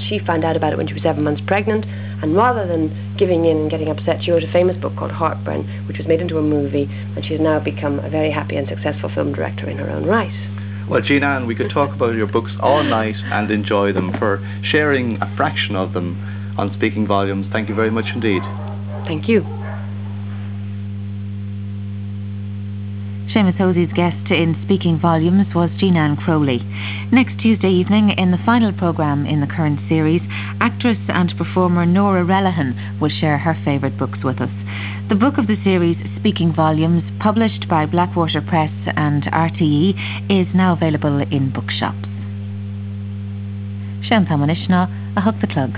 She found out about it when she was seven months pregnant, and rather than giving in and getting upset, she wrote a famous book called Heartburn, which was made into a movie, and she has now become a very happy and successful film director in her own right. Well, Jean Ann, we could talk about your books all night and enjoy them for sharing a fraction of them on Speaking Volumes. Thank you very much indeed. Thank you. Seamus Hosey's guest in Speaking Volumes was Jean Ann Crowley. Next Tuesday evening, in the final programme in the current series, actress and performer Nora Relihan will share her favourite books with us. The book of the series, Speaking Volumes, published by Blackwater Press and RTE, is now available in bookshops. Sé an t-am anois ná a hocht a chlog.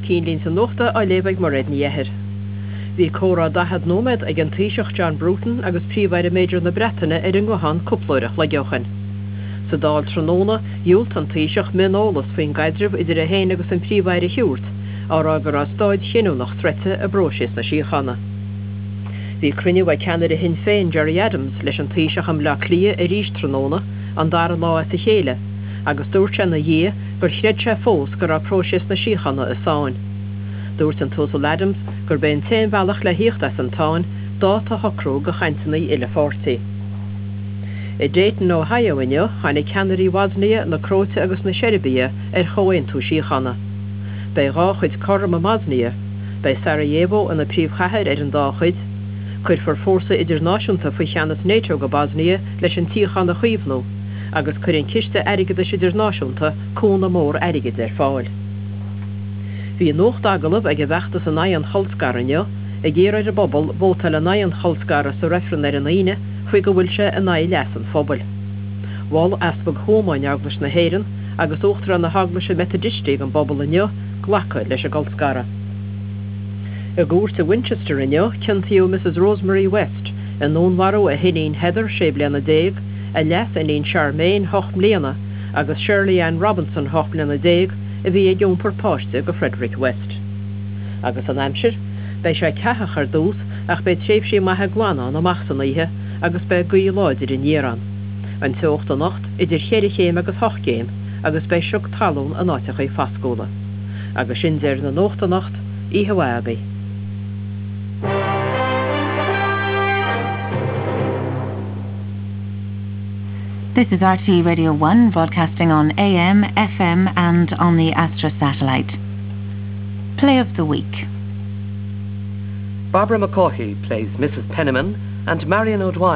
Cinnlínte Nuachta á léamh ag Mairéad Ní Eithir. Bhí comhrá 40 nóiméad ag an Taoiseach John Bruton agus Príomh-Aire Major na Breataine ar an nguthán cúpla uair a chloig ó shin. Sa Dáil tráthnóna, dhiúltaigh an Taoiseach mioneolas faoin gcaidreamh idir é féin agus an Príomh-Aire a thabhairt, á rá go raibh staid chinniúnach sroichte i bpróiseas na síochána. Bhí cruinniú ag ceannaire Shinn Féin Gerry Adams leis an Taoiseach i mBleá Cliath arís tráthnóna, an dara lá as a chéile, agus dúirt sé ina dhiaidh gur chreid sé fós go raibh próiseas na síochána i sáinn. Dúirt an tUasal Adams gurb é an t-aon bhealach le thíocht as an tsáinn dáta a shocrú do chainteanna uile-pháirtí. I Dayton, Ohio inniu, tháinig ceannairí Bhosnia, na Cróite agus na Seirbia ar chomhaontú síochána. Beidh dhá chuid cothrom i mBosnia. Beidh Sarajevo ina príomhchathair ar an dá chuid. Cuirfear fórsa idirnáisiúnta faoi cheannas NATO go Bosnia leis an tsíocháin a chaomhnú, agus cuireann Ciste Airgeadais Idirnáisiúnta cúnamh mór airgid ar fáil. Bhí nuacht-agallamh ag an bhfeachtas in aghaidh an cholscartha inniu, ag iarraidh ar an bpobal vótáil in aghaidh an cholscartha sa reifreann ar an Aoine faoi go bhfuil sé in aghaidh leas an phobail. Mhol Easpag Thuama in Eaglais na hÉireann agus Uachtarán na hEaglaise Meitidistí don bpobal inniu glacadh leis an gcolscaradh. I gcúirt i Winchester inniu, ciontaíodh Mrs Rosemary West i ndúnmharú a hiníon Heather, 16 bliana, a leas-iníon Charmaine, 8 mbliana, agus Shirley Ann Robinson, 18 mbliana, a bhí ag iompar páiste do Frederick West. Agus an aimsir? Beidh sé ceathach ar dtús ach beidh tréimhsí maithe glana ann amach san oíche agus beidh gaoth láidir aniar ann. An teocht anocht idir cheithre chéim agus hocht gcéim agus beidh sioc talún in áiteachaí fascúla. Agus sin deireadh na nuachta anocht, oíche mhaith agaibh. This is RTÉ Radio 1 broadcasting on AM, FM and on the Astra satellite. Play of the week. Barbara McCaughey plays Mrs. Penniman and Marion O'Dwyer.